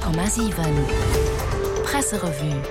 100,7 Presserevue.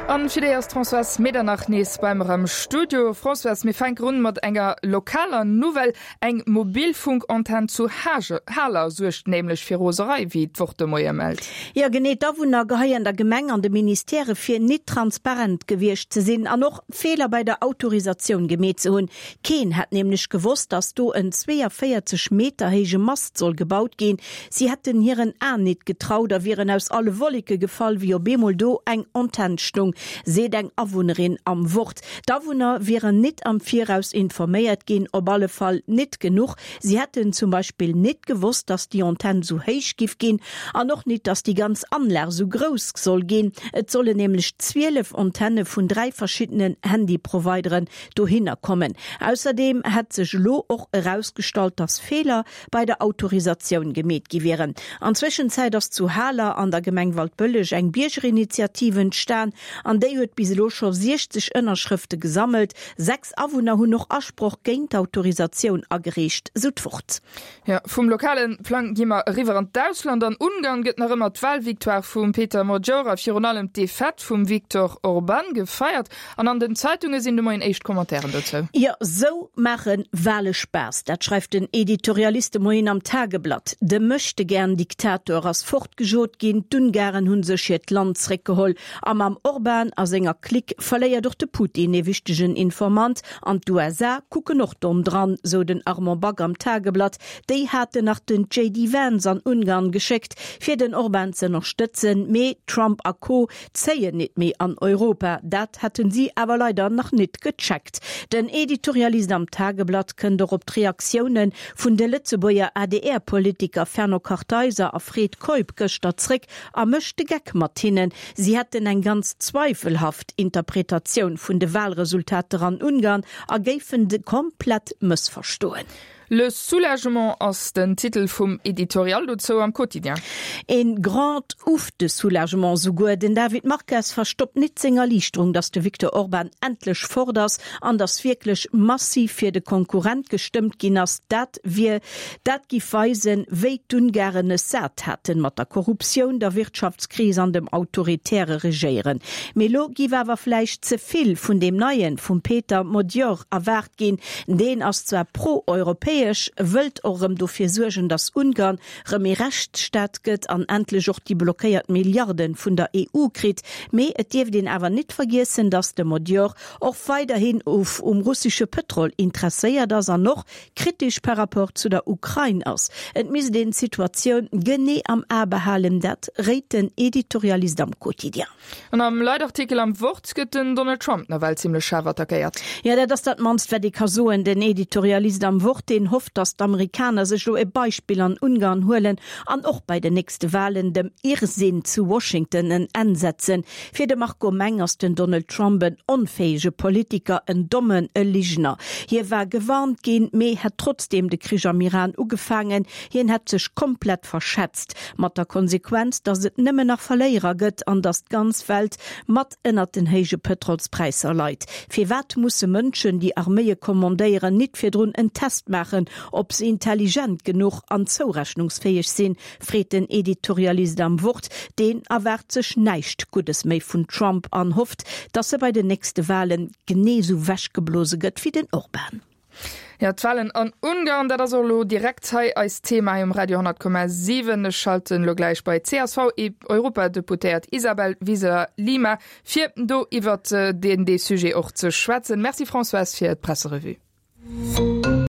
An fir déi ass d'Françoise Medernach nees bei mer am Studio. Françoise, mir fänken un mat enger lokaler Nouvelle. Eng Mobilfunkantenn zu Haler suergt nämlech fir Roserei, wéi d'Wort de Moie mellt. Jo genee, d'Awunner geheien der Gemeng an de Ministèrë vir, nit transparent gewiescht ze sinn an och Feeler bei der Autorisatioun gemeet ze hunn. Keen hätt nämlech gewosst, datt do en 42 Meter héije Mast soll gebaut ginn. Si hätten hiren Aen nit getraut a wieren aus alle Wolleke gefall, wéi op eemol do eng Antenn stung, seet eng Awunnerin am Wort. D'Awunner wieren nit am Viraus informéiert ginn, op alle Fall nit genuch. Si hätten zum Beispill nit gewosst, datt déi Antenn sou héich giff ginn an och nit, datt déi ganz Anlag sou grouss soll ginn. Et sollen nämlech 12 Antenne vun 3 verschiddenen Handyprovideren dohinner kommen. Ausserdeem hätt sech elo och erausgestallt, datt Feeler bei der Autorisatioun gemeet gi wieren. An Zwëschenzäit ass zu Haler an der Gemeng Waldbëlleg eng Biergerinitiativ entstan an déi huet bis elo scho 60 Ënnerschrëfte gesammelt. 6 Awunner hunn och Asproch géint d'Autorisatioun agereecht, sou d'Wort. Jo, vum lokale Plang gi mer eriwwer an d'Ausland. An Ungarn gëtt nach ëmmer d'Walvictoire vum Peter Magyar a virun allem d'Defaite vum Viktor Orban gefeiert. An an den Zeitunge sinn de Moien éischt Commentairen dozou. Jo, sou maache Wale Spaass, dat schreift den Editorialist de Moien am Tageblatt. De Möchtegern-Diktator ass fortgejot ginn, d'Ungaren hu sech hiert Land zréckgeholl a mam Orban a senger Clique verléiert och de Putin ee wichtegen Informant. An d'USA kucken och domm dran, sou den Armand Back am Tageblatt. Déi haten nach den JD Vance an Ungarn geschéckt, fir den Orban z'ënnerstëtzen, mee Trump a Co. Zéien nit méi an Europa. Dat hätten si awer leider nach nit gecheckt. Den Editorialist am Tageblatt kënnt och op d'Reaktioune vun de Lëtzebuerger ADR-Politiker Fernand Kartheiser a Fred Keup gëschter zréck a mécht de Geck mat hinnen. Si hätten eng ganz zweifelhaft Interpretatioun vun de Wahlresultater an Ungarn a géifen de komplett mëssverstoen. Le soulagement ass den Titel vum Editorial dozou am Quotidien. Een grand ouf de soulagement souguer. Den David Marques verstoppt nit seng Erliichterung, datt de Viktor Orban endlech fort ass an datt wierklech massiv fir de Konkurrent gestëmmt ginn ass. Dat wier, dat giff weisen, wéi d'Ungaren es sat haten mat der Korruptioun, der Wirtschaftskris an dem autoritäre Regéieren. Mee lo giff awer vläicht ze vill vun deem Neien, vum Peter Magyar erwaart ginn. Deen ass zwar pro-europäesch, wëllt och erëm dofir suergen, datt Ungarn rëm ee Rechtsstaat gëtt an endlech och déi blockéiert Milliarde vun der EU kritt, mee et dierft een awer nit vergiessen, datt de Magyar och weiderhin um russesche Pëtrol interesséiert ass an och kritesch par rapport zu der Ukrain ass. Et misst een d'Situatioun genee am A behalen, dat réit den Editorialist am Quotidien. An am Leitartikel am Wort gëtt den Donald Trump nawell zimmlech schaarf attackéiert. Jo, dat ass dat mannst, wat ee ka soen. Den Editorialist am Wort, deen hofft, datt d'Amerikaner sech elo e Beispill an Ungarn huelen an och bei den nächste Walen dem Irrsinn zu Washington en Enn setzen. Fir de Marco Meng ass den Donald Trump en onfäege Politiker, en Dommen, e Ligner. Hie war gewarnt ginn, mee hätt trotzdeem de Krich am Iran ugefaangen. Hien hätt sech komplett verschätzt. Mat der Konsequenz, datt et nëmmen nach Verléierer gëtt an datt d'ganz Welt mat ënnert den héije Pëtrolspräisser leit. Firwat musse Mënschen, déi Arméie kommandéieren, nit virdrun en Test maachen, ob se intelligent genuch an zourechnungsfäeg sinn, freet den Editorialist am Wort. Deen erwaart sech näischt Guddes méi vun Trump an hofft, datt e bei den nächste Walen genee sou wechgeblose gëtt wéi den Orban. Ja, d'Wahlen an Ungarn, dat ass och elo direkt hei eist Thema hei um Radio 10,7. Ech schalten elo gläich bei d'CSV-Europadeputéiert Isabel Wiseler-Lima, fir do iwwert deen dee Sujet och ze schwätzen. Merci Françoise fir d'Presserevue.